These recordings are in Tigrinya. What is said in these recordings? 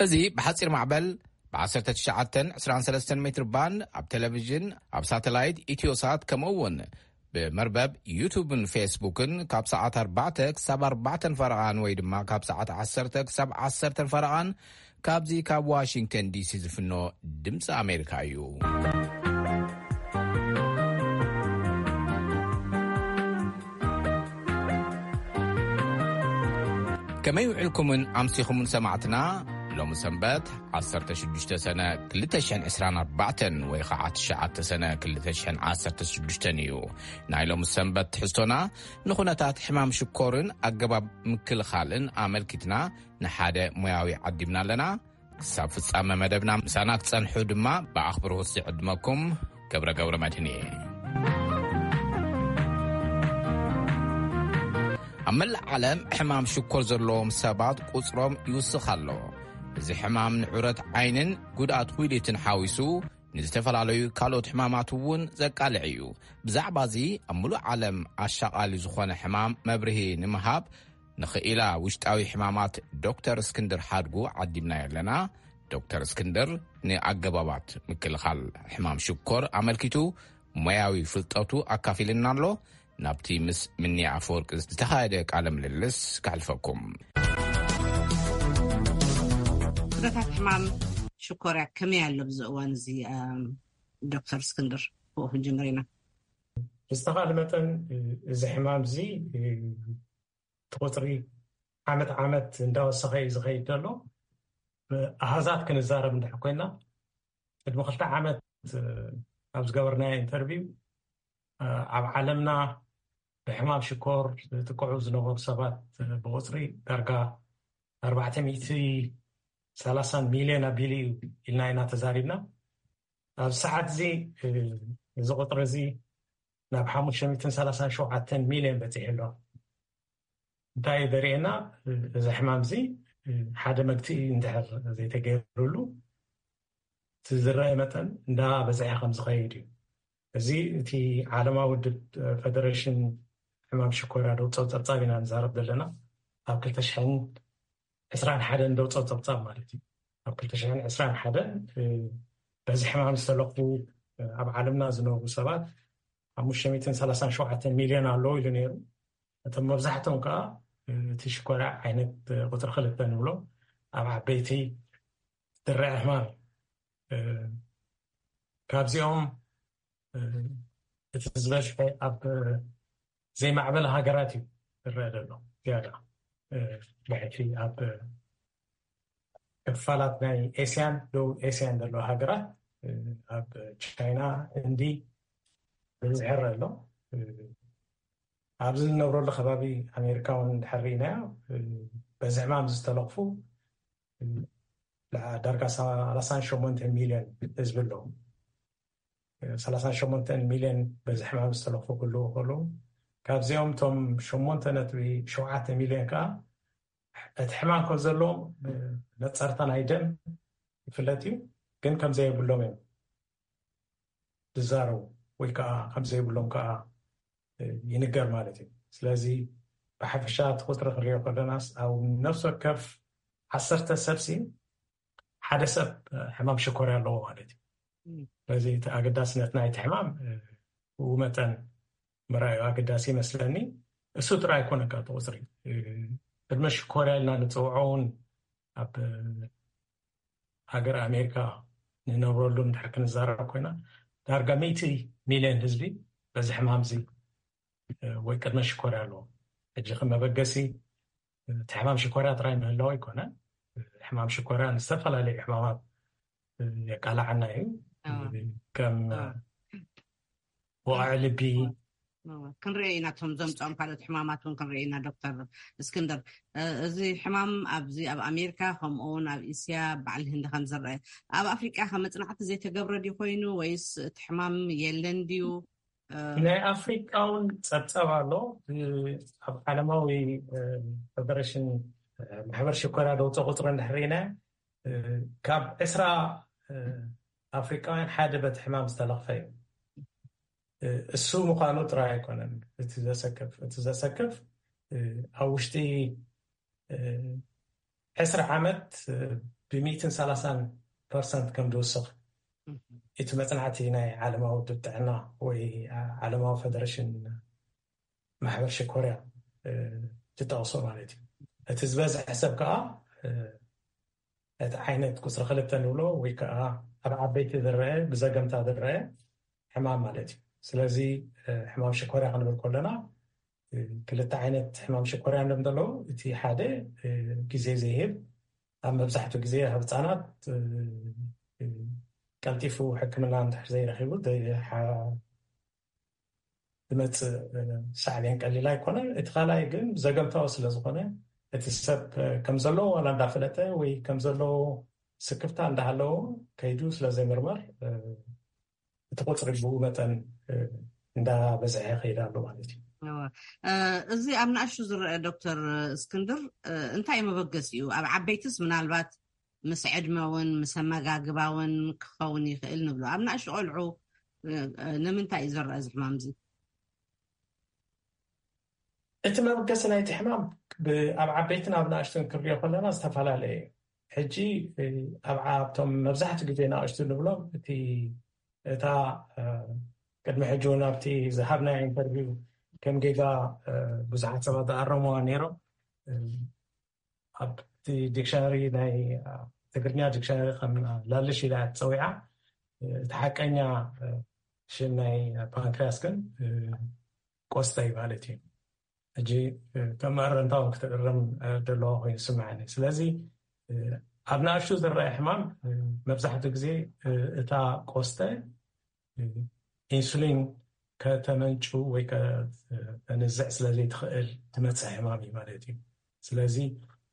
እዚ ብሓጺር ማዕበል ብ19 23 ሜትር ባንድ ኣብ ቴሌቪዥን፣ ኣብ ሳተላይት ኢትዮሳት፣ ከምኡ እውን ብመርበብ ዩቱብን ፌስቡክን ካብ ሰዓት ኣርባዕተ ክሳብ ኣርባዕተን ፈረቓን ወይ ድማ ካብ ሰዓት ዓሰርተ ክሳብ ዓሰርተን ፈረቓን ካብዚ ካብ ዋሽንግተን ዲሲ ዝፍኖ ድምፂ ኣሜሪካ እዩ። ከመይ ውዕልኩምን ኣምሲኹምን ሰማዕትና? ሎሚ ሰንበት ዓሰርተ ሽዱሽተ ሰነ ክልተ ሽሕን ዕስራን ኣርባዕተን ወይ ኸዓ ትሽዓተ ሰነ ክልተ ሽሕን ዓሰርተ ሽዱሽተን እዩ። ናይ ሎሚ ሰንበት ትሕዝቶና ንኹነታት ሕማም ሽኮርን ኣገባብ ምክልኻልን ኣመልኪትና ንሓደ ሞያዊ ዓዲምና ኣለና። ክሳብ ፍጻመ መደብና ምሳና ክጸንሑ ድማ ብኣኽብሮት ዝዕድመኩም ገብረ ገብረ መድህን እየ። ኣብ መላእ ዓለም ሕማም ሽኮር ዘለዎም ሰባት ቁጽሮም ይውስኽ ኣሎ። እዚ ሕማም ንዑረት ዓይንን ጉድኣት ዊሊትን ሓዊሱ ንዝተፈላለዩ ካልኦት ሕማማት እውን ዘቃልዕ እዩ። ብዛዕባ እዚ ኣብ ምሉእ ዓለም ኣሻቓሊ ዝኾነ ሕማም መብርሂ ንምሃብ ንኽኢላ ውሽጣዊ ሕማማት ዶክተር እስክንድር ሓድጉ ዓዲምናዮ ኣለና። ዶክተር እስክንድር ንኣገባባት ምክልኻል ሕማም ሽኮር ኣመልኪቱ ሞያዊ ፍልጠቱ ኣካፊልና ኣሎ። ናብቲ ምስ ምኒ ኣፈወርቂ ዝተኻየደ ቃለ ምልልስ ከሕልፈኩም። ኩነታት ሕማም ሽኮርያ ከመይ ኣሎ ብዚ እዋን እዚ? ኣም፣ ዶክተር እስክንድር፣ ብኡ ክንጅምር ኢና። ብዝተኻለ መጠን፣ እዚ ሕማም እዚ እቲ ቁፅሪ ዓመት ዓመት እንዳወሰኸ እዩ ዝኸይድ ዘሎ። ብኣሃዛት ክንዛረብ እንድሕር ኮይና፣ ቅድሚ ክልተ ዓመት ኣብ ዝገበርናዮ ኢንተርቪው፣ ኣብ ዓለምና ብሕማም ሽኮር ዝጥቅዑ ዝነበሩ ሰባት ብቁፅሪ ዳርጋ ኣርባዕተ ሚእቲ ሰላሳን ሚልዮን ኣቢሉ እዩ ኢልና ኢና ተዛሪብና። ኣብ ሰዓት እዚ፣ እዚ ቁፅሪ እዚ ናብ ሓሙሽተ ሚእትን ሰላሳን ሸውዓተን ሚልዮን በፂሑ ኣሎ። እንታይ እዩ ዘርእየና? እዚ ሕማም እዚ ሓደ መግትኢ እንድሕር ዘይተገይሩሉ፣ እቲ ዝረአ መጠን እንዳበዝሐ ከም ዝኸይድ እዩ። እዚ እቲ ዓለማዊ ውድብ፣ ፈደሬሽን ሕማም ሽኮርያ ደውፀው ፀብፃብ ኢና ንዛረብ ዘለና። ኣብ ክልተ ሽሕን ዕስራን ሓደን ደውፀው ፀብፃብ ማለት እዩ። ኣብ ክልተ ሽሕን ዕስራን ሓደን፣ እ፣ በዚ ሕማም ዝተለኽፉ፣ እ፣ ኣብ ዓለምና ዝነብሩ ሰባት ሓሙሽተ ሚእትን ሰላሳን ሸውዓተን ሚልዮን ኣለዉ ኢሉ ነይሩ። እቶም መብዛሕትኦም ከዓ፣ እ፣ እቲ ሽኮርያ ዓይነት፣ እ፣ ቁፅሪ ክልተ ንብሎ ኣብ ዓበይቲ ዝረአ ሕማም እዩ። እ፣ ካብዚኦም፣ እ፣ እቲ ዝበዝሐ ኣብ ዘይማዕበለ ሃገራት እዩ ዝረአ ዘሎ ዝያዳ። እ፣ ብሕቲ ኣብ ክፋላት ናይ ኤስያን፣ ደቡብ ኤስያን ዘለዋ ሃገራት፣ እ፣ ኣብ ቻይና፣ ህንዲ ብብዝሒ ይረአ ኣሎ። እ፣ ኣብዚ እንነብረሉ ከባቢ ኣሜሪካ እውን እንድሕር ርኢናዮ፣ እ፣ በዚ ሕማም ዝተለኽፉ፣ እ፣ ዳርጋ ሰላሳን ሸሞንተ ሚልዮን ህዝቢ ኣለዉ። ሰላሳን ሸሞንተን ሚልዮን በዚ ሕማም ዝተለኽፉ ክህልዉ ከለዉ፣ ካብዚኦም እቶም ሸሞንተ ነጥቢ ሸውዓተ ሚልዮን ከኣ እቲ ሕማም ከም ዘለዎም ነጸርታ ናይ ደም ይፍለጥ እዩ፣ ግን ከም ዘየብሎም እዮም ዝዛረቡ፣ ወይ ከኣ ከም ዘይብሎም ከኣ ይንገር ማለት እዩ። ስለዚ ብሓፈሻ እቲ ቁጽሪ ክንሪኦ ከለናስ ኣብ ነፍሲ ወከፍ ዓሰርተ ሰብሲ ሓደ ሰብ ሕማም ሽኮርያ ኣለዎ ማለት እዩ። እም። ስለዚ እቲ ኣገዳስነት ናይቲ ሕማም፣ እ፣ ብኡ መጠን ምርኣዩ ኣገዳሲ ይመስለኒ። እሱ ጥራይ ኣይኮነን፣ ካብ እቲ ቁጽሪ፣ እ፣ ቅድመ ሽኮርያ ኢልና ንጽውዖ እውን ኣብ ሃገር ኣሜሪካ ንነብረሉ እንድሕር ክንዛረብ ኮይና፣ ዳርጋ ሚእቲ ሚልዮን ህዝቢ በዚ ሕማም እዚ፣ እ፣ ወይ ቅድመ ሽኮርያ ኣለዎ። ሕጂ ከም መበገሲ እቲ ሕማም ሽኮርያ ጥራይ ምህላው ኣይኮነን። ሕማም ሽኮርያ ንዝተፈላለዩ ሕማማት የቃልዓና እዩ። ኣዎ። ከም ኣዎ። ወቕዒ ልቢ። ኣዎ። ክንርኢ ኢና፣ እቶም ዘምፅኦም ካልኦት ሕማማት እውን ክንርኢ ኢና። ዶክተር እስክንድር፣ እ፣ እዚ ሕማም ኣብዚ ኣብ ኣሜሪካ፣ ከምኡ እውን ኣብ እስያ፣ በዓል ህንዲ ከም ዝረአ፣ ኣብ ኣፍሪቃ ከ መፅናዕቲ ዘይተገብረ ድዩ ኮይኑ፣ ወይስ እቲ ሕማም የለን ድዩ? እ፣ ናይ ኣፍሪቃ እውን ጸብጻብ ኣሎ። እ፣ ኣብ ዓለማዊ፣ እ፣ ፈደሬሽን፣ እ፣ ማሕበር ሽኮርያ ደውፀ ቁጽሪ እንድሕር ርኢና፣ እ፣ ካብ ዕስራ፣ እ፣ ኣፍሪቃውያን ሓደ በቲ ሕማም ዝተለኽፈ እዩ። እ፣ እሱ ምዃኑ ጥራይ ኣይኮነን እቲ ዘሰክፍ። እቲ ዘሰክፍ፣ እ፣ ኣብ ውሽጢ፣ እ፣ ዕስራ ዓመት ብሚእትን ሰላሳን ፐርሰንት ከም ዝውስኽ እቲ መጽናዕቲ ናይ ዓለማዊ ውድብ ጥዕና ወይ ዓለማዊ ፈደረሽን ማሕበር ሽኮርያ ዝጠቕሶ ማለት እዩ። እቲ ዝበዝሐ ሰብ ከዓ እቲ ዓይነት ቁፅሪ ክልተ ንብሎ ወይ ከዓ ኣብ ዓበይቲ ዝረአ ብዘገምታ ዝረአ ሕማም ማለት እዩ። ስለዚ ሕማም ሽኮርያ ክንብል ከለና ክልተ ዓይነት ሕማም ሽኮርያ እዮም ዘለዉ። እቲ ሓደ ግዜ ዘይህብ፣ ኣብ መብዛሕትኡ ግዜ ኣብ ህፃናት ቀልጢፉ ሕክምና እንድሕር ዘይረኪቡ ዝመፅእ ሳዕቤን ቀሊል ኣይኮነን። እቲ ካልኣይ ግን ዘገምታዊ ስለዝኾነ እቲ ሰብ ከም ዘለዎ ዋላ እንዳፈለጠ ወይ ከም ዘለዎ ስክፍታ እንዳሃለዎ ከይዱ ስለዘይምርመር እቲ ቁፅሪ ብኡ መጠን እንዳበዝሐ ይኸይድ ኣሎ ማለት እዩ። እዚ ኣብ ንኣሽቱ ዝረአ ዶክተር እስክንድር እንታይ መበገሲኡ? ኣብ ዓበይትስ ምናልባት ምስ ዕድመ እውን ምስ ኣመጋግባ እውን ክኸውን ይኽእል ንብሎ። ኣብ ንኣሽቱ ቆልዑ ንምንታይ እዩ ዝረአ እዚ ሕማም እዚ? እቲ መበገሲ ናይቲ ሕማም ኣብ ዓበይትን ኣብ ንኣሽቱን ክንሪኦ ከለና ዝተፈላለየ እዩ። ሕጂ ኣብቶም መብዛሕትኡ ግዜ ንኣሽቱ ንብሎም እቲ እታ ቅድሚ ሕጂ እውን ኣብቲ ዝሃብናዮ ኢንተርቪው ከም ጌጋ ብዙሓት ሰባት ዝኣረምዋ ነይሮም። ኣብቲ ዲክሽነሪ ናይ ትግርኛ ዲክሽነሪ ከም ላልሽ ኢላ እያ ትፀዊዓ። እቲ ሓቀኛ ሽም ናይ ፓንክርያስ ግን ቆስጠ እዩ ማለት እዩ። ሕጂ ከም መእረምታ እውን ክትእረም ደለዋ ኮይኑ ይስምዓኒ። ስለዚ ኣብ ንኣሽቱ ዝረአ ሕማም መብዛሕትኡ ግዜ እታ ቆስጠ ኢንሱሊን ከተመንጩ ወይ ከተንዝዕ ስለዘይትኽእል ትመፅእ ሕማም እዩ ማለት እዩ። ስለዚ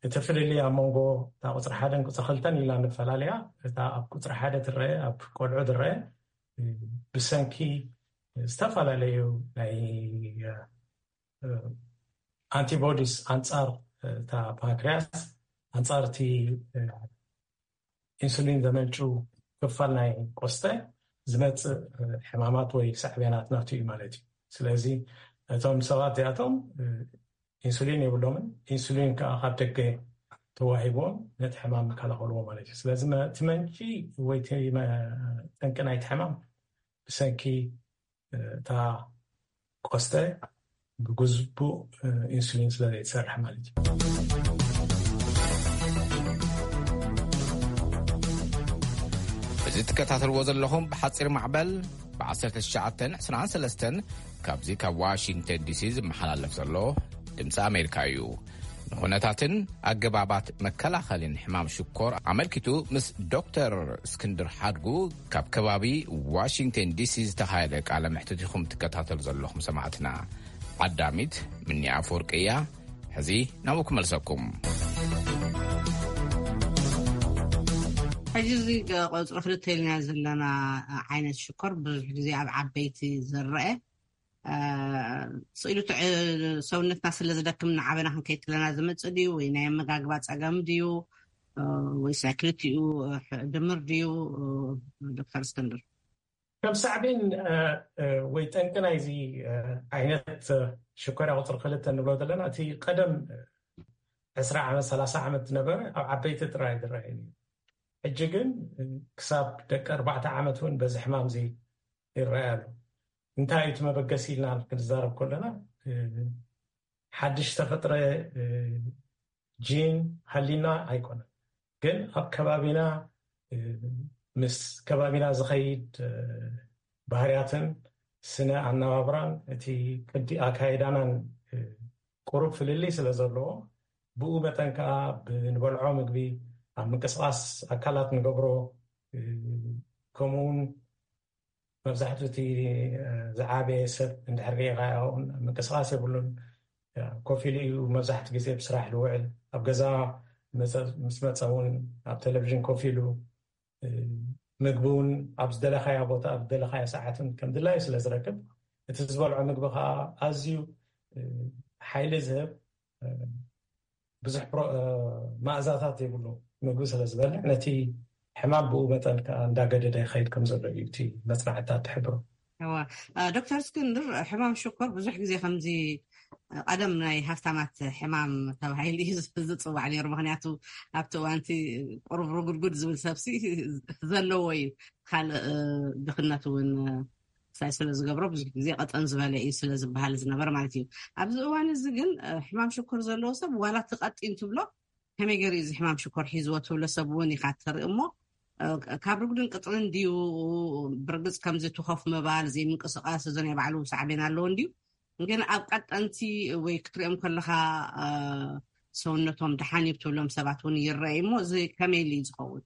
እቲ ፍልልይ ኣብ መንጎ እታ ቁፅሪ ሓደን ቁፅሪ ክልተን ኢልና ንፈላለያ። እታ ኣብ ቁፅሪ ሓደ ትረአ ኣብ ቆልዑ ትረአ ብሰንኪ ዝተፈላለዩ ናይ ኣንቲቦዲስ ኣንፃር እታ ፓንክርያስ ኣንፃር እቲ ኢንሱሊን ዘመንጩ ክፋል ናይ ቆስተ ዝመፅእ ሕማማት ወይ ሳዕቤናት ናቱ እዩ ማለት እዩ። ስለዚ እቶም ሰባት እዚኣቶም ኢንሱሊን የብሎምን። ኢንሱሊን ከዓ ካብ ደገ ተዋሂብዎም ነቲ ሕማም ይከላኸልዎ ማለት እዩ። ስለዚ እቲ መንጪ ወይ ጠንቂ ናይቲ ሕማም ብሰንኪ እታ ቆስተ ብግቡእ ኢንሱሊን ስለ ዘይትሰርሕ ማለት እዩ። እዚ ትከታተልዎ ዘለኹም ብሓፂር ማዕበል ብ1923 ካብዚ ካብ ዋሽንግተን ዲሲ ዝመሓላለፍ ዘሎ ድምፂ ኣሜሪካ እዩ። ንኹነታትን ኣገባባት መከላኸልን ሕማም ሽኮር ኣመልኪቱ ምስ ዶክተር እስክንድር ሓድጉ ካብ ከባቢ ዋሽንግተን ዲሲ ዝተኻየደ ቃለ መሕትት ኢኹም ትከታተሉ ዘለኹም ሰማዕትና። ዓዳሚት ምኒ ኣፈወርቂ እያ። ሕዚ ናብኡ ክመልሰኩም። ሕጂ እዚ ቁፅሪ ክልተ ኢልና ዘለና ዓይነት ሽኮር ብዙሕ ግዜ ኣብ ዓበይቲ ዝረአ ስኢሉ ሰውነትና ስለ ዝደክም ንዓበና ክንከይድ ከለና ዝመፅእ ድዩ ወይ ናይ ኣመጋግባ ፀገም ድዩ ወይስ ናይ ክልቲኡ ድምር ድዩ? ዶክተር እስክንድር። ከም ሳዕቤን ወይ ጠንቂ ናይዚ ዓይነት ሽኮርያ ቁፅሪ ክልተ ንብሎ ዘለና እቲ ቀደም ዕስራ ዓመት ሰላሳ ዓመት ዝነበረ ኣብ ዓበይቲ ጥራይ ዝረኣየ እዩ። ሕጂ ግን ክሳብ ደቂ ኣርባዕተ ዓመት እውን በዚ ሕማም እዚ ይረኣይ ኣሎ። እንታይ እዩ እቲ መበገሲ ኢልና ክንዛረብ ከለና ሓድሽ ተፈጥረ ጂን ሃሊና ኣይኮነን፣ ግን ኣብ ከባቢና ምስ ከባቢና ዝኸይድ ባህርያትን ስነ ኣነባብራን እቲ ቅዲ ኣካይዳናን ቁሩብ ፍልልይ ስለ ዘለዎ ብኡ መጠን ከዓ ብንበልዖ ምግቢ ኣብ ምንቅስቃስ ኣካላት ንገብሮ ከምኡ እውን መብዛሕትኡ እቲ ዝዓበየ ሰብ እንድሕር ሪኢኻዮ ምንቅስቃስ የብሉን። ኮፍ ኢሉ እዩ መብዛሕትኡ ግዜ ብስራሕ ዝውዕል። ኣብ ገዛ ምስ መፀ እውን ኣብ ቴሌቪዥን ኮፍ ኢሉ ምግቢ እውን ኣብ ዝደለኻዮ ቦታ ኣብ ዝደለኻዮ ሰዓትን ከም ድላዩ ስለ ዝረክብ እቲ ዝበልዖ ምግቢ ከዓ ኣዝዩ ሓይሊ ዝህብ ብዙሕ ማእዛታት የብሉ ምግቢ ስለ ዝበልዕ ነቲ ሕማም ብኡ መጠን ከዓ እንዳገደደ ይኸይድ ከም ዘሎ እዩ እቲ መፅናዕትታት ትሕብሮ። ዶክተር እስክንድር፣ ሕማም ሽኮር ብዙሕ ግዜ ከምዚ ቀደም ናይ ሃፍታማት ሕማም ተባሂሉ እዩ ዝፅዋዕ ነይሩ። ምክንያቱ ኣብቲ እዋንቲ ቁሩብ ርጉድጉድ ዝብል ሰብሲ ዘለዎ እዩ። ካልእ ድኽነት እውን ሳይ ስለ ዝገብሮ ብዙሕ ግዜ ቀጠን ዝበለ እዩ ስለ ዝበሃል ዝነበር ማለት እዩ። ኣብዚ እዋን እዚ ግን ሕማም ሽኮር ዘለዎ ሰብ ዋላ እቲ ቀጢን ትብሎ ከመይ ገይሩ እዚ ሕማም ሽኮር ሒዝዎ ትብሎ ሰብ እውን ኢካ ትርኢ እሞ ካብ ርጉድን ቅጥንን ድዩ? ብርግፅ ከምዚ ትኾፍ ምባል ዘይምንቅስቃስ እዞ ናይ ባዕሉ ሳዕቤን ኣለዎ እንድዩ። ግን ኣብ ቀጠንቲ ወይ ክትሪኦም ከለካ ሰውነቶም ደሓን እዩ ትብሎም ሰባት እውን ይረአ እሞ እዚ ከመይ ኢሉ እዩ ዝኸውን?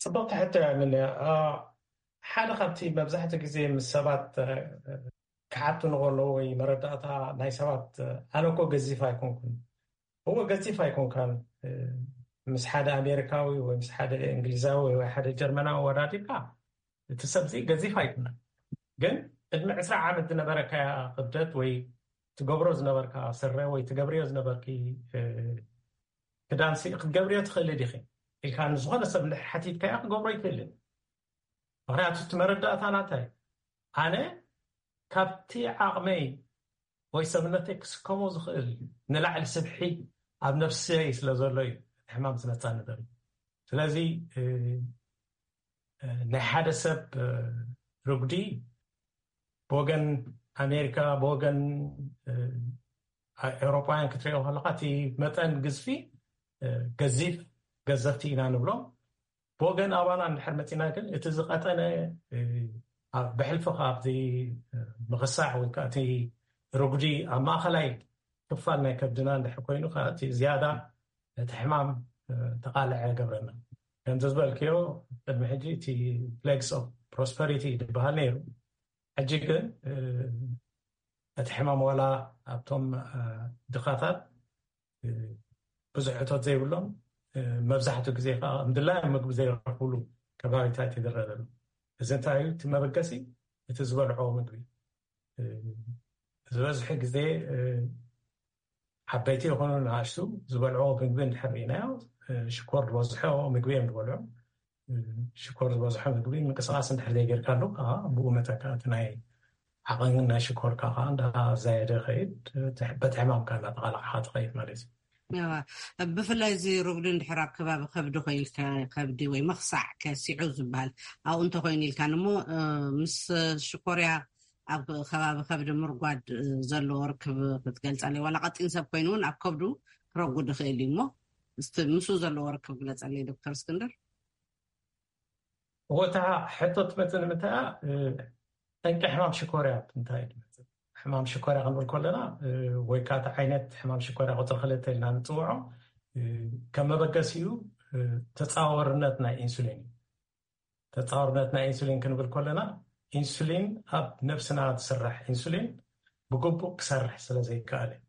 ፅብቕቲ ሕቶ እያ። ምን ሓደ ካብቲ መብዛሕትኡ ግዜ ምስ ሰባት ክሓቱ ንከለዉ ወይ መረዳእታ ናይ ሰባት ኣነ እኮ ገዚፍ ኣይኮንኩን። እዎ ገዚፍ ኣይኮንካን። ምስ ሓደ ኣሜሪካዊ ወይ ምስ ሓደ እንግሊዛዊ ወይ ሓደ ጀርመናዊ ወዳዲርካ እቲ ሰብ እዚ ገዚፍ ኣይኮነን። ግን ቅድሚ ዕስራ ዓመት ዝነበረካ ክብደት ወይ ትገብሮ ዝነበርካ ስረ ወይ ትገብርዮ ዝነበርኪ ክዳንሲ ክትገብርዮ ትኽእሊ ዲኺ ኢልካ ንዝኾነ ሰብ ሓቲትካዮ ክገብሮ ይክእልን። ምክንያቱ እቲ መረዳእታ ናታይ ኣነ ካብቲ ዓቕመይ ወይ ሰብነተይ ክስከሞ ዝኽእል ንላዕሊ ስብሒ ኣብ ነፍሰይ ስለ ዘሎ እዩ ሕማም ዝመፃኒ ዘሎ። ስለዚ ናይ ሓደ ሰብ ርጉዲ ብወገን ኣሜሪካ ብወገን ኤውሮጳውያን ክትሪኦ ከለካ እቲ መጠን ግዝፊ ገዚፍ ገዘፍቲ ኢና ንብሎም። ብወገን ኣባና እንድሕር መፂና ግን እቲ ዝቀጠነ ብሕልፊ ካብዚ ምክሳዕ ወይ ከዓ እቲ ርጉዲ ኣብ ማእከላይ ክፋል ናይ ከብድና እንድሕር ኮይኑ እቲ ዝያዳ እቲ ሕማም ተቃልዐ ገብረና። ከምዚ ዝበልክዮ ቅድሚ ሕጂ እቲ plagues of prosperity ዝበሃል ነይሩ። ሕጂ ግን እቲ ሕማም ዋላ ኣብቶም ድኻታት ብዙሕ እቶት ዘይብሎም መብዛሕትኡ ግዜ ከዓ ምድላይ ምግቢ ዘይረኽብሉ ከባቢታት ይድረረሉ። እዚ እንታይ እዩ? እቲ መበገሲ እቲ ዝበልዖ ምግቢ ዝበዝሑ ግዜ ዓበይቲ ይኹኑ ንኣሽቱ ዝበልዕዎ ምግቢ እንድሕር ርኢናዮ ሽኮር ዝበዝሖ ምግቢ እዮም ዝበልዑ። ሽኮር ዝበዝሖ ምግቢ ምንቅስቃስ እንድሕር ዘይጌርካሉ ከዓ ብኡ መጠን ከዓ እቲ ናይ ዓቐንን ናይ ሽኮርካ ከዓ እንዳዛየደ ይኸይድ። በቲ ሕማምካ እንዳተቃላዕካ ትኸይድ ማለት እዩ። ብፍላይ እዚ ርጉዲ እንድሕር ኣብ ከባቢ ከብዲ ኮይልካ ከብዲ ወይ መክሳዕ ከሲዑ ዝበሃል ኣብኡ እንተኮይኑ ኢልካ እሞ ምስ ሽኮርያ ኣብ ከባቢ ከብዲ ምርጓድ ዘለዎ ርክብ ክትገልፀለይ ዋላ ቀጢን ሰብ ኮይኑ እውን ኣብ ከብዱ ክረጉድ ይኽእል እዩ እሞ ምስኡ ዘለዎ ርክብ ግለፀለይ ዶክተር እስክንድር። እወታ ሕቶ ትመፅእ ንምንታይ ጠንቂ ሕማም ሽኮርያ እንታይ ትመፅእ? ሕማም ሽኮርያ ክንብል ከለና ወይ ከዓ ዓይነት ሕማም ሽኮርያ ቁፅሪ ክልተ ኢልና ንፅውዖ ከም መበገሲኡ ተፃወርነት ናይ ኢንሱሊን እዩ። ተፃወርነት ናይ ኢንሱሊን ክንብል ከለና ኢንሱሊን ኣብ ነብስና ዝስራሕ ኢንሱሊን ብግቡእ ክሰርሕ ስለ ዘይከኣል እዩ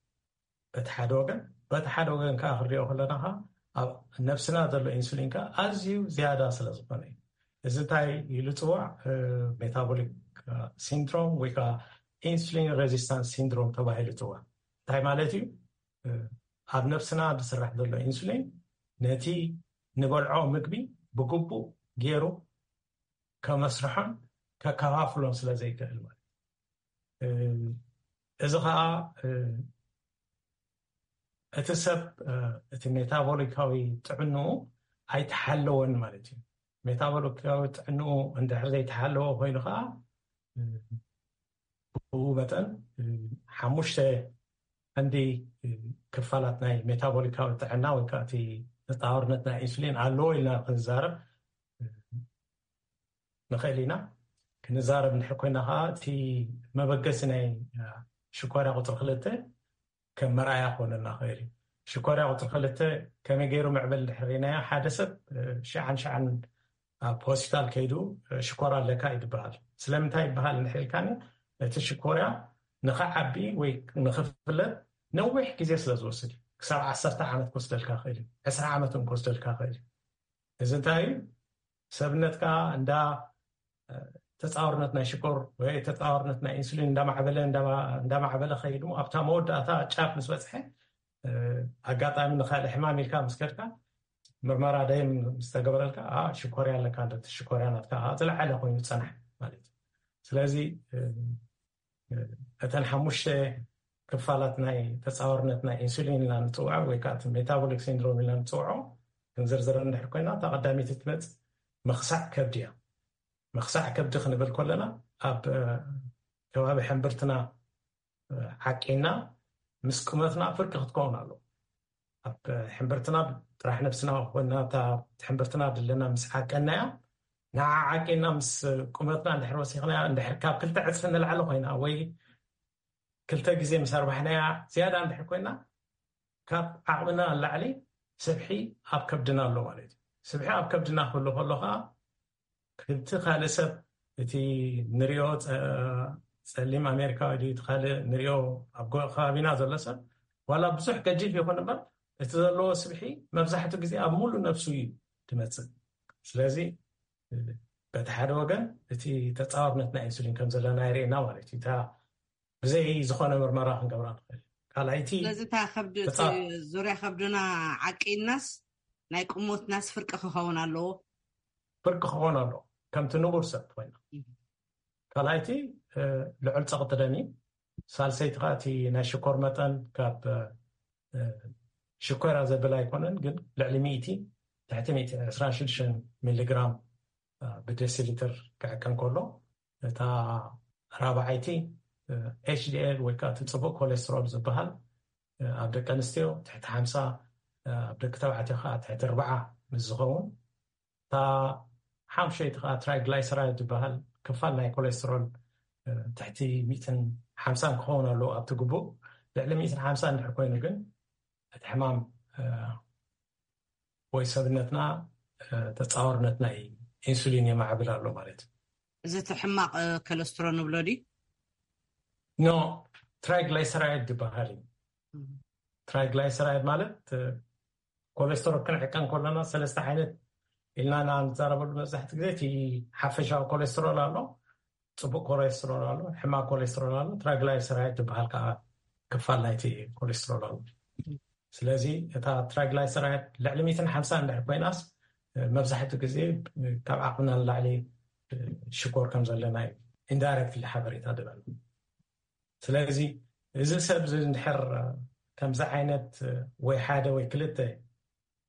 በቲ ሓደ ወገን። በቲ ሓደ ወገን ከዓ ክንሪኦ ከለና ከዓ ኣብ ነብስና ዘሎ ኢንሱሊን ከዓ ኣዝዩ ዝያዳ ስለ ዝኾነ እዩ። እዚ እንታይ ኢሉ ፅዋዕ? ሜታቦሊክ ሲንድሮም ወይ ከዓ ኢንሱሊን ሬዚስታንስ ሲንድሮም ተባሂሉ ይፅዋዕ። እንታይ ማለት እዩ? ኣብ ነብስና ዝስራሕ ዘሎ ኢንሱሊን ነቲ ንበልዖ ምግቢ ብግቡእ ገይሩ ከመስርሖን ከከፋፍሎን ስለ ዘይክእል ማለት እዩ። እዚ ከዓ እቲ ሰብ እቲ ሜታቦሊካዊ ጥዕንኡ ኣይተሓለወን ማለት እዩ። ሜታቦሊካዊ ጥዕንኡ እንድሕር ዘይተሓለወ ኮይኑ ከዓ ብኡ መጠን ሓሙሽተ ቀንዲ ክፋላት ናይ ሜታቦሊካዊ ጥዕና ወይ ከዓ እቲ ተፃዋርነት ናይ ኢንሱሊን ኣለዎ ኢልና ክንዛረብ ንኽእል ኢና። ክንዛረብ እንድሕር ኮይና ከዓ እቲ መበገሲ ናይ ሽኮርያ ቁፅሪ ክልተ ከም መርኣያ ክኾነና ክእል እዩ። ሽኮርያ ቁፅሪ ክልተ ከመይ ገይሩ ምዕብል እንድሕር ኢናዮ ሓደ ሰብ ሽዓን ሽዓን ኣብ ሆስፒታል ከይዱ ሽኮር ኣለካ እዩ ዝበሃል። ስለምንታይ ይበሃል እንድሕር ኢልካኒ እቲ ሽኮርያ ንኽዓቢ ወይ ንኽፍለጥ ነዊሕ ግዜ ስለ ዝወስድ እዩ። ክሳብ ዓሰርተ ዓመት ክወስደልካ ክእል እዩ። ዕስራ ዓመት እውን ክወስደልካ ክእል እዩ። እዚ እንታይ እዩ? ሰብነትካ እንዳ ተፃወርነት ናይ ሽኮር ወይ ተፃወርነት ናይ ኢንሱሊን እንዳማዕበለ እንዳማዕበለ ከይዱ ኣብታ መወዳእታ ጫፍ ምስ በፅሐ ኣጋጣሚ ንካልእ ሕማም ኢልካ ምስ ከድካ ምርመራ ደም ዝተገበረልካ ሽኮርያ ኣለካ ሽኮርያ ናትካ ዝለዓለ ኮይኑ ፀናሕ ማለት እዩ። ስለዚ እተን ሓሙሽተ ክፋላት ናይ ተጻዋርነት ናይ ኢንሱሊን ኢልና ንጽውዖ ወይ ከዓ እቲ ሜታቦሊክ ሲንድሮም ኢልና ንጽውዖ ክንዝርዝረ እንድሕር ኮይና፣ እታ ቀዳመይቲ ትመጽእ ምኽሳዕ ከብዲ እያ። ምኽሳዕ ከብዲ ክንብል ከለና፣ ኣብ ከባቢ ሕምብርትና ዓቂና ምስ ቁመትና ፍርቂ ክትከውን ኣለዎ። ኣብ ሕምብርትና፣ ጥራሕ ነብስና ኮይና፣ እታ ሕምብርትና ድለና ምስ ዓቀናያ፣ ንዓ ዓቂና ምስ ቁመትና እንድሕር ወሲኽናያ፣ እንድሕር ካብ ክልተ ዕፅፊ ንላዕሊ ኮይና ወይ ክልተ ግዜ ምስ ኣርባሕናያ ዝያዳ እንድሕር ኮይና፣ ካብ ዓቕምና ንላዕሊ ስብሒ ኣብ ከብድና ኣሎ ማለት እዩ። ስብሒ ኣብ ከብድና ክህሉ ከሎ ከዓ፣ ክልተ ካልእ ሰብ፣ እቲ ንሪኦ ጸ-፣ ጸሊም ኣሜሪካዊ ድዩ፣ እቲ ካልእ ንሪኦ ኣብ ጎ-፣ ከባቢና ዘሎ ሰብ፣ ዋላ ብዙሕ ገጂፍ ይኹን እምበር፣ እቲ ዘለዎ ስብሒ መብዛሕትኡ ግዜ ኣብ ሙሉእ ነብሱ እዩ ድመጽእ። ስለዚ፣ በቲ ሓደ ወገን፣ እቲ ተጻዋርነት ናይ ኢንሱሊን ከም ዘለና የርእየና ማለት እዩ። እታ ብዘይ ዝኾነ ምርመራ ክንገብራ ንኽእል። ካልኣይቲ፣ ስለዚ እታ ከብዲ፣ እቲ ተጻ- ዙርያ ከብድና ዓቂናስ ናይ ቁሞትናስ ፍርቂ ክኸውን ኣለዎ። ፍርቂ ክኸውን ኣለዎ፣ ከምቲ ንቡር ሰብ ኮይና። እህ። ካልኣይቲ፣ እ፣ ልዑል ጸቕጢ ደም እዩ። ሳልሰይቲ ከዓ፣ እቲ ናይ ሽኮር መጠን ካብ፣ እ፣ ሽኮራ ዘብል ኣይኮነን፣ ግን ልዕሊ ሚእቲ፣ ትሕቲ ሚእቲ፣ ዕስራን ሽዱሽተን ሚሊግራም፣ እ፣ ብደሲሊትር ክዕቀን ከሎ፣ እታ ራብዓይቲ፣ እ፣ ኤች ዲ ኤል ወይ ከዓ እቲ ጽቡቕ ኮሌስትሮል ዝበሃል፣ እ፣ ኣብ ደቂ ኣንስትዮ ትሕቲ ሓምሳ፣ እ፣ ኣብ ደቂ ተባዕትዮ ከዓ ትሕቲ ኣርባዓ ምስ ዝኸውን፣ እታ ሓሙሸይቲ ከዓ ትራይግላይሰራይድ ዝበሃል ክፋል ናይ ኮሌስትሮል፣ እ፣ ትሕቲ ሚእትን ሓምሳን ክኸውን ኣለዎ ኣብቲ ግቡእ። ልዕሊ ሚእትን ሓምሳን እንድሕር ኮይኑ ግን እቲ ሕማም፣ እ፣ ወይ ሰብነትና፣ እ፣ ተጻዋርነት ናይ ኢንሱሊን የማዕብል ኣሎ ማለት እዩ። እዚ እቲ ሕማቕ፣ እ፣ ኮለስትሮል ንብሎ ድዩ? ኖ፣ ትራይግላይሰራይድ ዝበሃል እዩ። እም። ትራይግላይሰራይድ ማለት፣ እ፣ ኮሌስትሮል ክንዕቀን ከለና ሰለስተ ዓይነት ኢልና ኢና ንዛረበሉ። መብዛሕትኡ ግዜ እቲ ሓፈሻዊ ኮሌስትሮል ኣሎ፣ ጽቡቕ ኮሌስትሮል ኣሎ፣ ሕማቕ ኮሌስትሮል ኣሎ፣ ትራይግላይሰራይድ ዝበሃል ከዓ ክፋል ናይቲ ኮሌስትሮል ኣሎ። ስለዚ እታ ትራይግላይሰራይድ ልዕሊ ሚእትን ሓምሳን እንድሕር ኮይናስ፣ መብዛሕትኡ ግዜ ካብ ዓቕምና ንላዕሊ ሽኮር ከም ዘለና እዩ ኢንዳይረክትሊ ሓበሬታ ዝህበና። ስለዚ እዚ ሰብ እዚ እንድሕር ከምዚ ዓይነት ወይ ሓደ ወይ ክልተ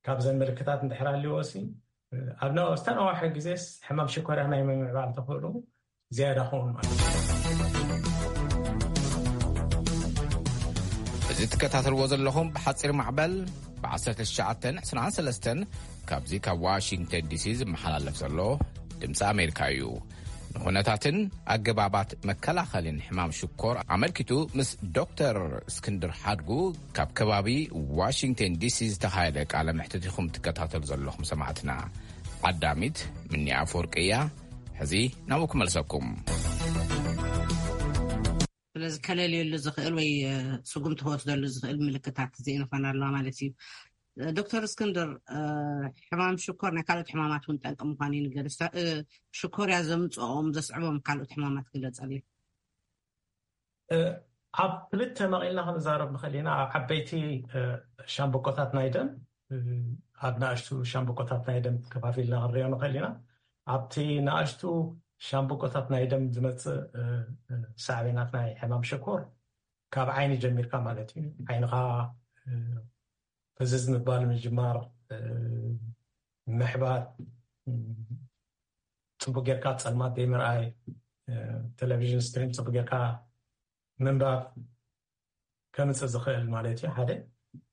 ካብዘን ምልክታት እንድሕር ኣልዎ ሲ፣ ኣብ ነ-፣ ዝተነዋሐ ግዜስ ሕማም ሽኮርያ ናይ ምምዕባል ተኽእሎ ዝያዳ ክኸውን ማለት እዩ። እዚ ትከታተልዎ ዘለኹም ብሓፂር ማዕበል ብ ዓሰርተ ትሽዓተን ዕስራን ሰለስተን ካብዚ ካብ ዋሽንግተን ዲሲ ዝመሓላለፍ ዘሎ ድምፂ ኣሜሪካ እዩ። ንኹነታትን ኣገባባት መከላኸልን ሕማም ሽኮር ኣመልኪቱ ምስ ዶክተር እስክንድር ሓድጉ ካብ ከባቢ ዋሽንግተን ዲሲ ዝተኻየደ ቃለ መሕትት ኢኹም ትከታተሉ ዘለኹም ሰማዕትና። ዓዳሚት ምኒ ኣፈወርቂ እያ። ሕዚ ናብኡ ክመልሰኩም። ስለዚ ከለልየሉ ዝኽእል ወይ፣ እ፣ ስጉምቲ ክወስደሉ ዝኽእል ምልክታት እዚአን ይኾና ኣለዋ ማለት እዩ። እ፣ ዶክተር እስክንድር፣ እ፣ ሕማም ሽኮር ናይ ካልኦት ሕማማት እውን ጠንቂ ምዃኑ ይንገር። እስታ-፣ እ፣ ሽኮርያ ዘምጽኦም ዘስዕቦም ካልኦት ሕማማት ግለጸለይ። እ፣ ኣብ ክልተ መቒልና ክንዛረብ ንኽእል ኢና። ኣብ ዓበይቲ፣ እ፣ ሻምብቆታት ናይ ደም፣ እ፣ ኣብ ንኣሽቱ ሻምብቆታት ናይ ደም ከፋፊልና ክንሪኦ ንኽእል ኢና። ኣብቲ ንኣሽቱ ሻምብቆታት ናይ ደም ዝመጽእ፣ እ፣ እ፣ ሳዕቤናት ናይ ሕማም ሽኮር ካብ ዓይኒ ጀሚርካ ማለት እዩ። ዓይንኻ፣ እ፣ ፍዝዝ ምባል ምጅማር፣ እ፣ ምሕባር፣ እ፣ ጽቡቅ ጌርካ ጸልማት ዘይምርኣይ፣ እ፣ ቴሌቪዥን ስክሪን ጽቡቅ ጌርካ ምንባብ ከምጽእ ዝኽእል ማለት እዩ፣ ሓደ።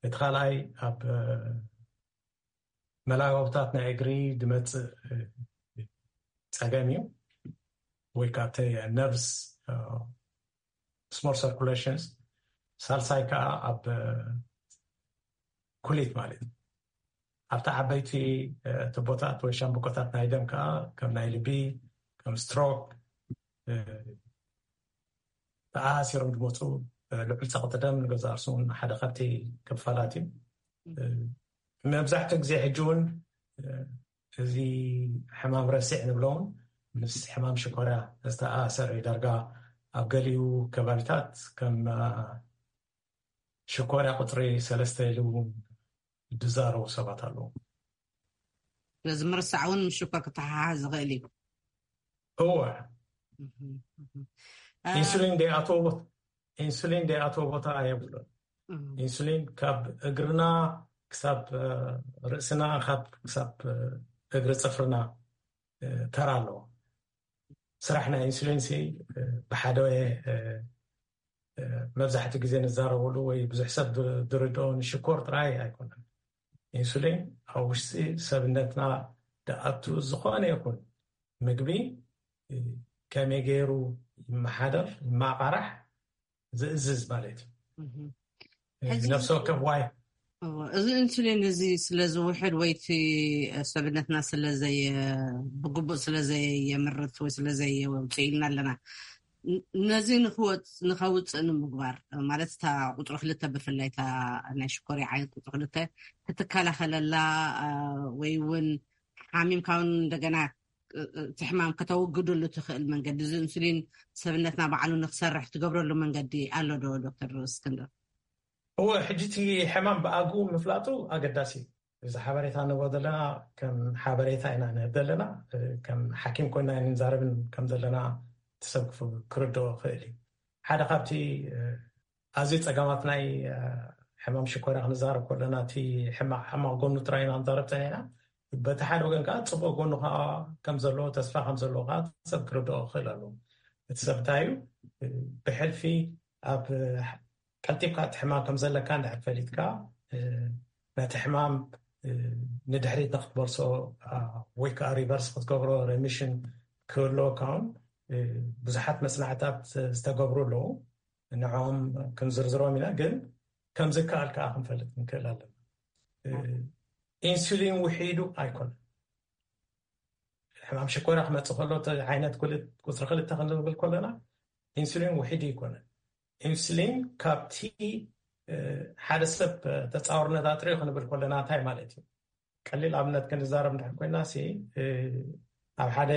እቲ ካልኣይ ኣብ፣ እ፣ መላጋብታት ናይ እግሪ ዝመጽእ፣ እ፣ ጸገም እዩ፣ ወይ ከዓ እቲ ነርቭስ፣ እ፣ ስሞል ሰርኩሌሽንስ። ሳልሳይ ከዓ ኣብ፣ እ፣ ኩሊት ማለት እዩ። ኣብቲ ዓበይቲ፣ እ፣ ቱቦታት ወይ ሻምብቆታት ናይ ደም ከዓ ከም ናይ ልቢ፣ ከም ስትሮክ፣ እ፣ ተኣሳሲሮም ዝመፁ፣ እ፣ ልዑል ፀቕጢ ደም ንገዛእ ርእሱ እውን ሓደ ካብቲ ክፋላት እዩ። እ፣ መብዛሕትኡ ግዜ ሕጂ እውን፣ እ፣ እዚ ሕማም ረሲዕ ንብሎ እውን ምስ ሕማም ሽኮርያ ዝተኣሳሰረ እዩ። ዳርጋ ኣብ ገሊኡ ከባቢታት ከም፣ እ፣ ሽኮርያ ቁፅሪ ሰለስተ ኢሉ ዝዛረቡ ሰባት ኣለዉ። ስለዚ ምርሳዕ እውን ምስ ሽኮር ክተሓሓዝ ዝኽእል እዩ። እወ። እህ፣ እህ። እ፣ ኢንሱሊን ዘይኣትዎ ኢንሱሊን ዘይኣትዎ ቦታ የብሉን። ኢንሱሊን ካብ እግርና ክሳብ ርእስና፣ ካብ ክሳብ እግሪ ፅፍርና ተራ ኣለዎ። ስራሕ ናይ ኢንሱሊን ሲ ብሓደ መብዛሕትኡ ግዜ ንዛረበሉ ወይ ብዙሕ ሰብ ዝርድኦ ንሽኮር ጥራይ ኣይኮነን። ኢንሱሊን ኣብ ውሽጢ ሰብነትና ደኣቱ ዝኾነ ይኹን ምግቢ ከመይ ገይሩ ይመሓደር፣ ይማቃራሕ ዝእዝዝ ማለት እዩ። ነፍሲ ወከፍ ዋይ እዚ ኢንሱሊን እዚ ስለ ዝውሕድ ወይ እቲ ሰብነትና ስለዘየ ብግቡእ ስለዘየምርት ወይ ስለዘየውፅእ ኢልና ኣለና። ነዚ ንክወፅ ንከውፅእ ንምግባር ማለት እታ ቁፅሪ ክልተ ብፍላይ እታ ናይ ሽኮር ዓይነት ቁፅሪ ክልተ ክትከላኸለላ ወይ እውን ሓሚምካ እውን እንደገና እቲ ሕማም ከተወግደሉ ትኽእል መንገዲ እዚ ኢንሱሊን ሰብነትና ባዕሉ ንክሰርሕ ትገብረሉ መንገዲ ኣሎ ዶ ዶክተር እስክንድር? እወ፣ ሕጂ እቲ ሕማም ብኣግኡ ምፍላጡ ኣገዳሲ እዩ። እዚ ሓበሬታ ንቦ ዘለና ከም ሓበሬታ ኢና ንህብ ዘለና። ከም ሓኪም ኮይና ንዛረብን ከም ዘለና ትሰብ ክርድኦ ክእል እዩ። ሓደ ካብቲ ኣዝዩ ፀገማት ናይ ሕማም ሽኮርያ ክንዛረብ ከለና እቲ ሕማቕ ጎኑ ጥራይ ኢና ንዛረብ ፀኒሕና። በቲ ሓደ ወገን ከዓ ፅቡቅ ጎኑ ከዓ ከም ዘለዎ፣ ተስፋ ከም ዘለዎ ከዓ ሰብ ክርድኦ ክእል ኣለዎ። እቲ ሰብ እንታይ እዩ ብሕልፊ ኣብ ቀልጢፍካ እቲ ሕማም ከም ዘለካ እንድሕር ፈሊጥካ ነቲ ሕማም ንድሕሪት ንክትመልሶ ወይ ከዓ ሪቨርስ ክትገብሮ ሬሚሽን ክህልወካ እውን ብዙሓት መፅናዕታት ዝተገብሩ ኣለዉ። ንዕኦም ክንዝርዝሮም ኢና፣ ግን ከም ዝከኣል ከዓ ክንፈልጥ ንክእል ኣለና። ኢንሱሊን ውሒዱ ኣይኮነን። ሕማም ሽኮራ ክመፅእ ከሎ ዓይነት ቁፅሪ ክልተ ክንብል ከለና ኢንሱሊን ውሒዱ ኣይኮነን። ኢንሱሊን ካብቲ ሓደ ሰብ ተፃወርነት ኣጥሪዩ ክንብል ከለና እንታይ ማለት እዩ? ቀሊል ኣብነት ክንዛረብ እንድሕር ኮይና ሲ ኣብ ሓደ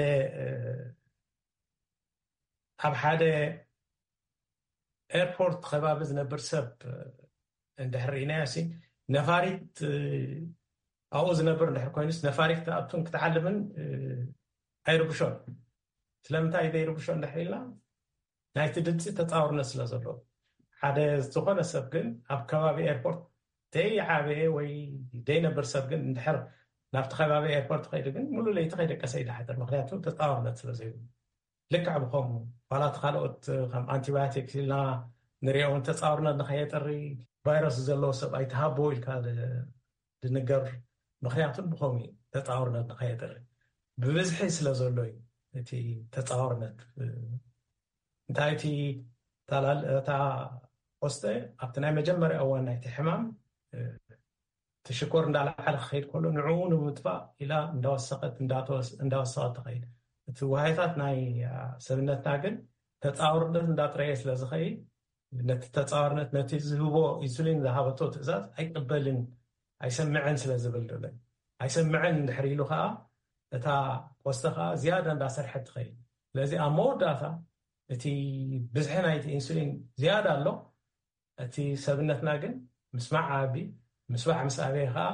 ኣብ ሓደ ኤርፖርት ከባቢ ዝነብር ሰብ እንድሕር ርኢናዮ ሲ ነፋሪት ኣብኡ ዝነብር እንድሕር ኮይኑስ ነፋሪት ክትኣቱን ክትዓልብን ኣይርብሾን። ስለምንታይ ዘይርብሾ እንድሕር ኢልና ናይቲ ድምፂ ተፃውርነት ስለ ዘለዎ። ሓደ ዝኾነ ሰብ ግን ኣብ ከባቢ ኤርፖርት ዘይዓበየ ወይ ዘይነብር ሰብ ግን እንድሕር ናብቲ ከባቢ ኤርፖርት ከይዱ ግን ሙሉ ለይቲ ከይደቀሰ ይድሓድር። ምክንያቱ ተፃውርነት ስለ ዘይብሉ። ልክዕ ብከምኡ ዋላ እቲ ካልኦት ከም ኣንቲባዮቲክስ ኢልና ንሪኦ እውን ተፃውርነት ንከየጥሪ ቫይረስ ዘለዎ ሰብ ኣይትሃቦ ኢልካ ድንገር። ምክንያቱ ብከምኡ ተፃውርነት ንከየጥሪ ብብዝሒ ስለ ዘሎ እዩ እቲ ተፃውርነት። እንታይ እቲ እታ ቆስጠ ኣብቲ ናይ መጀመርያ እዋን ናይቲ ሕማም እቲ ሽኮር እንዳለዓለ ክኸይድ ከሎ ንዕኡ ንምጥፋእ ኢላ እንዳወሰኸት እንዳወሰኸት ትኸይድ። እቲ ዋህዮታት ናይ ሰብነትና ግን ተፃውርነት እንዳጥረየ ስለ ዝኸይድ ነቲ ተፃዋርነት ነቲ ዝህቦ ኢንሱሊን ዝሃበቶ ትእዛዝ ኣይቅበልን ኣይሰምዕን ስለ ዝብል ዶለ ኣይሰምዕን እንድሕር ኢሉ ከዓ እታ ቆስተ ከዓ ዝያዳ እንዳሰርሐት ትኸይድ። ስለዚ ኣብ መወዳእታ እቲ ብዝሒ ናይቲ ኢንሱሊን ዝያዳ ኣሎ። እቲ ሰብነትና ግን ምስማዕ ዓቢ ምስባዕ ምስ ኣበየ ከዓ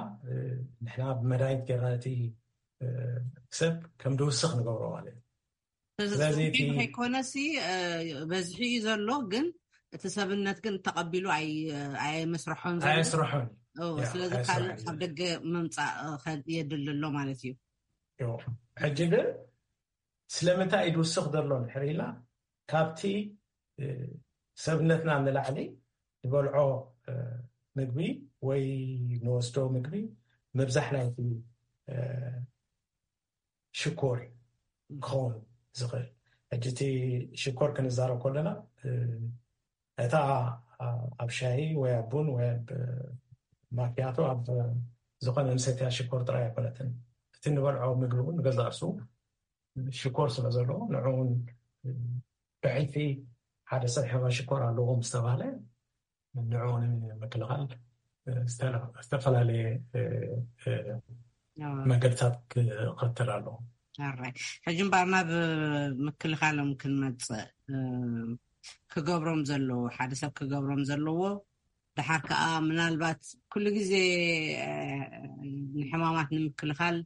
ንሕና ብመድሃኒት ገርና እቲ ሰብ ከም ድውስኽ ንገብሮ ማለት እዩ። ስለዚ ከይኮነሲ በዝሒ እዩ ዘሎ፣ ግን እቲ ሰብነት ግን ተቐቢሉ ኣየመስርሖን ዘሎ። ኣየስርሖን። ስለዚ ካልእ ካብ ደገ ምምፃእ የድሊ ኣሎ ማለት እዩ። ሕጂ ግን ስለምንታይ እዩ ድውስኽ ዘሎ እንድሕር ኢልና ካብቲ ሰብነትና ንላዕሊ ዝበልዖ ምግቢ ወይ ንወስዶ ምግቢ ምብዛሕ ናይቲ ሽኮር ክኸውን ዝኽእል። ሕጂ እቲ ሽኮር ክንዛረብ ከለና እታ ኣብ ሻሂ ወይ ኣብ ቡን ወይ ኣብ ማኪያቶ ኣብ ዝኾነ ንሰትያ ሽኮር ጥራይ ኣይኮነትን። እቲ ንበልዖ ምግቢ እውን ንገዛእ ርእሱ ሽኮር ስለ ዘለዎ ንዕኡ እውን ብሕልፊ ሓደ ሰብ ሕማም ሽኮር ኣለዎ ምስ ተባህለ ንዕኡ ንምክልኻል ዝተፈላለየ መገድታት ክኸተል ኣለዎ። ሕጂ እምበኣር ናብ ምክልኻሎም ክንመፅእ ክገብሮም ዘለዎ ሓደ ሰብ ክገብሮም ዘለዎ ድሓር ከዓ ምናልባት ኩሉ ግዜ ንሕማማት ንምክልኻል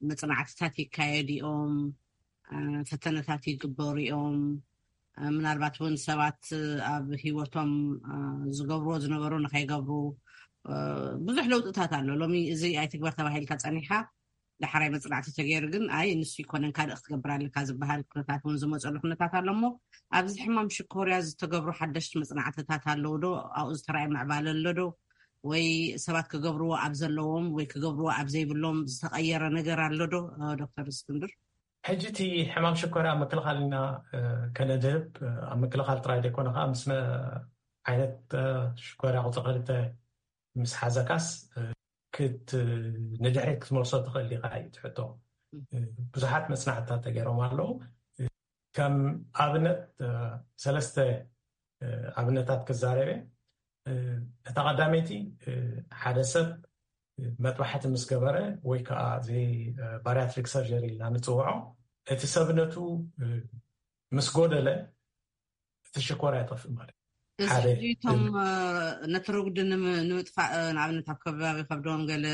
መፅናዕትታት ይካየዱ እዮም፣ ፈተነታት ይግበሩ እዮም። ምናልባት እውን ሰባት ኣብ ህይወቶም ዝገብርዎ ዝነበሩ ንኸይገብሩ ብዙሕ ለውጥታት ኣሎ። ሎሚ እዚ ኣይትግበር ተባሂልካ ጸኒሕካ ዳሕራይ መጽናዕቲ ተገይሩ ግን ኣይ ንሱ ይኮነን ካልእ ክትገብር ኣለካ ዝበሃል ኩነታት እውን ዝመፀሉ ኩነታት ኣሎ። እሞ ኣብዚ ሕማም ሽኮርያ ዝተገብሩ ሓደሽቲ መጽናዕትታት ኣለዉ ዶ? ኣብኡ ዝተረኣየ ምዕባለ ኣሎ ዶ? ወይ ሰባት ክገብርዎ ኣብ ዘለዎም ወይ ክገብርዎ ኣብ ዘይብሎም ዝተቐየረ ነገር ኣሎ ዶ? ዶክተር እስክንድር? ሕጂ እቲ ሕማም ሽኮርያ ምክልኻል ኢና ከነድህብ። ኣብ ምክልኻል ጥራይ ዘይኮነ ከዓ ምስ ዓይነት ሽኮርያ ቁፅሪ ክልተ ምስ ሓዘካስ ንድሕሪት ክትመልሶ ትኽእል ኢኻ እዩ ትሕቶ። ብዙሓት መፅናዕትታት ተገይሮም ኣለዉ። ከም ኣብነት ሰለስተ ኣብነታት ክዛረበ። እታ ቀዳመይቲ ሓደ ሰብ መጥባሕቲ ምስ ገበረ ወይ ከዓ እዚ ባሪያትሪክ ሰርጀሪ ኢልና ንፅውዖ እቲ ሰብነቱ ምስ ጎደለ እቲ ሽኮር ኣይጠፍእ ማለት እዩ። እዚ ሓደ እቶም ነቲ ርጉዲ ንምጥፋእ ንኣብነት ኣብ ከባቢ ከብዶም ገለ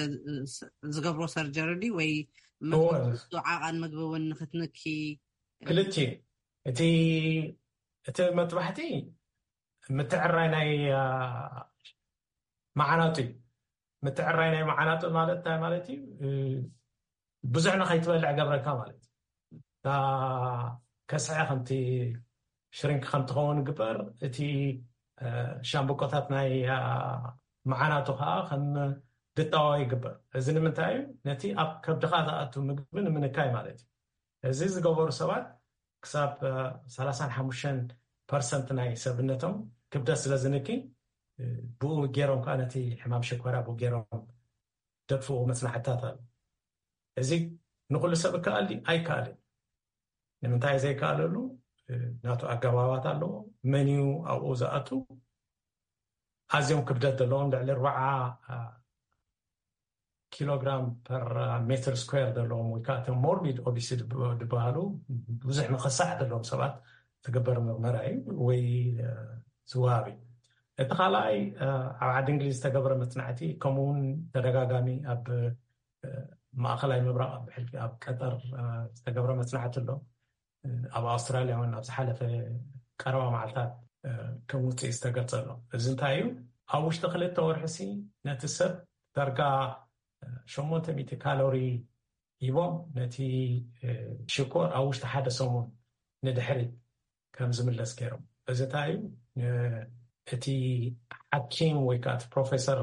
ዝገብሮ ሰርጀሪ ድዩ ወይ እወ። መግቢ ዓቐን ምግቢ እውን ንክትንኪ ክልቲኡ እቲ እቲ መጥባሕቲ ምትዕራይ ናይ መዓናጡ እዩ። ምትዕራይ ናይ መዓናጡ ማለት እንታይ ማለት እዩ? ብዙሕ ንኸይትበልዕ ገብረካ ማለት እዩ። ከስዐ ከምቲ ሽሪንክ ከምትኸውን ግበር፣ እቲ ሻምብቆታት ናይ መዓናቱ ከዓ ከም ድጣዋ ይግበር። እዚ ንምንታይ እዩ? ነቲ ኣብ ከብድኻ ዝኣቱ ምግቢ ንምንካይ ማለት እዩ። እዚ ዝገበሩ ሰባት ክሳብ ሰላሳን ሓሙሽተን ፐርሰንት ናይ ሰብነቶም ክብደት ስለ ዝንኪ ብኡ ገይሮም ከዓ ነቲ ሕማም ሸኮራ ብኡ ገይሮም ደጥፍኡ መፅናዕትታት ኣሎ። እዚ ንኩሉ ሰብ እከኣል ድዩ? ኣይከኣልን። ንምንታይ ዘይከኣለሉ ናቱ ኣገባባት ኣለዎ። መን እዩ ኣብኡ ዝኣቱ? ኣዝዮም ክብደት ዘለዎም ልዕሊ ኣርባዓ ኪሎግራም ፐር ሜትር ስኩዌር ዘለዎም ወይ ከዓ እቶም ሞርቢድ ኦቢሲቲ ዝበሃሉ ብዙሕ ምኽሳሕ ዘለዎም ሰባት ዝግበር ምርመራ እዩ ወይ ዝወሃብ እዩ። እቲ ካልኣይ ኣብ ዓዲ እንግሊዝ ዝተገብረ መፅናዕቲ ከምኡውን ተደጋጋሚ ኣብ ማእኸላይ ምብራቕ ኣብ ቀጠር ዝተገብረ መፅናዕቲ ኣሎ። ኣብ ኣውስትራልያ እውን ኣብ ዝሓለፈ ቀረባ መዓልታት ከም ውፅኢት ዝተገልፀ ኣሎ። እዚ እንታይ እዩ? ኣብ ውሽጢ ክልተ ወርሒ ሲ ነቲ ሰብ ዳርጋ ሸሞንተ ሚእቲ ካሎሪ ሂቦም ነቲ ሽኮር ኣብ ውሽጢ ሓደ ሰሙን ንድሕሪት ከም ዝምለስ ገይሮም። እዚ እንታይ እዩ? እቲ ሓኪም ወይ ከዓ እቲ ፕሮፌሰር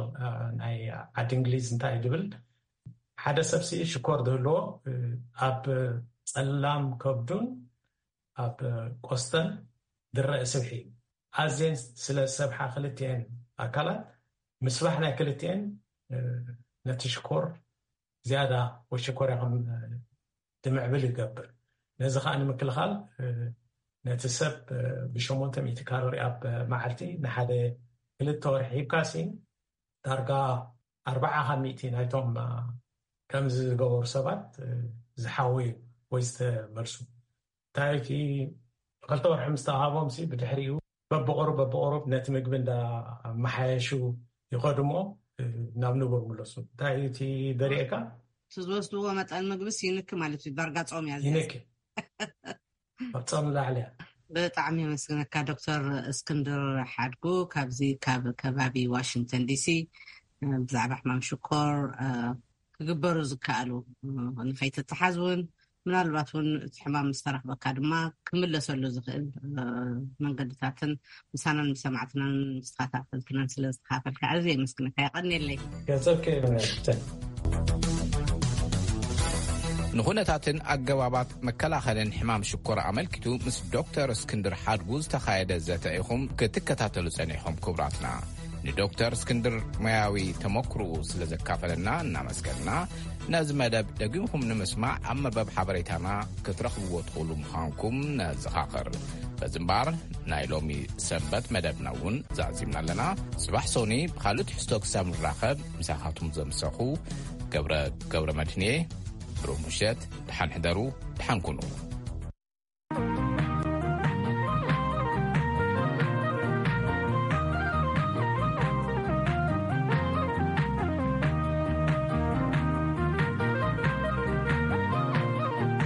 ናይ ዓዲ እንግሊዝ እንታይ እዩ ዝብል፣ ሓደ ሰብ ሲ ሽኮር ዝህልዎ ኣብ ፀላም ከብዱን ኣብ ቆስተን ዝረአ ስብሒ እዩ። ኣዝየን ስለ ዝሰብሓ ክልቲኤን ኣካላት ምስባሕ ናይ ክልቲኤን ነቲ ሽኮር ዝያዳ ወይ ሸኮርያ ከም ድምዕብል ይገብር። ነዚ ከዓ ንምክልኻል ነቲ ሰብ ብሸሞንተ ሚእቲ ካሎሪ ኣብ መዓልቲ ንሓደ ክልተ ወርሒ ሂብካ ሲ ዳርጋ ኣርባዓ ካብ ሚእቲ ናይቶም ከምዚ ዝገበሩ ሰባት ዝሓወዩ ወይ ዝተመልሱ እንታይ እቲ ክልተ ወርሒ ምስ ተዋሃቦም ሲ ብድሕሪኡ በብቑሩብ በብቑሩብ ነቲ ምግቢ እንዳመሓየሹ ይኸዱ እሞ ናብ ንቡር ምለሱ። እንታይ እዩ እቲ ዘርእየካ? እቲ ዝወስድዎ መጠን ምግብስ ይንኪ ማለት እዩ። ዳርጋ ጾም እያ እዚኣ። ይንኪ። ኣብ ጾም ላዕሊ እያ። ብጣዕሚ የመስግነካ ዶክተር እስክንድር ሓድጉ ካብዚ ካብ ከባቢ ዋሽንግተን ዲሲ ብዛዕባ ሕማም ሽኮር ክግበሩ ዝከኣሉ ንኸይትተሓዝ እውን ምናልባት እውን እቲ ሕማም ምስ ተረኽበካ ድማ ክምለሰሉ ዝኽእል መንገድታትን ምሳናን ምስ ሰማዕትናን ምስ ተኸታተልትናን ስለ ዝተኻፈልካ ኣዝየ የመስግነካ። የቐንየለይ። ገንዘብኪ ይብነትን ንኹነታትን ኣገባባት መከላኸልን ሕማም ሽኮር ኣመልኪቱ ምስ ዶክተር እስክንድር ሓድጉ ዝተኻየደ ዘተ ኢኹም ክትከታተሉ ጸኒሕኹም ክቡራትና። ንዶክተር እስክንድር ሞያዊ ተመክሮኡ ስለ ዘካፈለና እናመስገንና፣ ነዚ መደብ ደጊምኩም ንምስማዕ ኣብ መርበብ ሓበሬታና ክትረኽብዎ ትኽእሉ ምዃንኩም ነዘኻኽር። በዚ እምበኣር ናይ ሎሚ ሰንበት መደብና እውን ዛዚምና ኣለና። ጽባሕ ሶኒ ብኻልእ ትሕዝቶ ክሳብ ንራኸብ ምሳኻትኩም ዘምሰኹ ገብረ ገብረ መድህንየ። ብሩህ ምሸት፣ ደሓን ሕደሩ፣ ደሓን ኩኑ።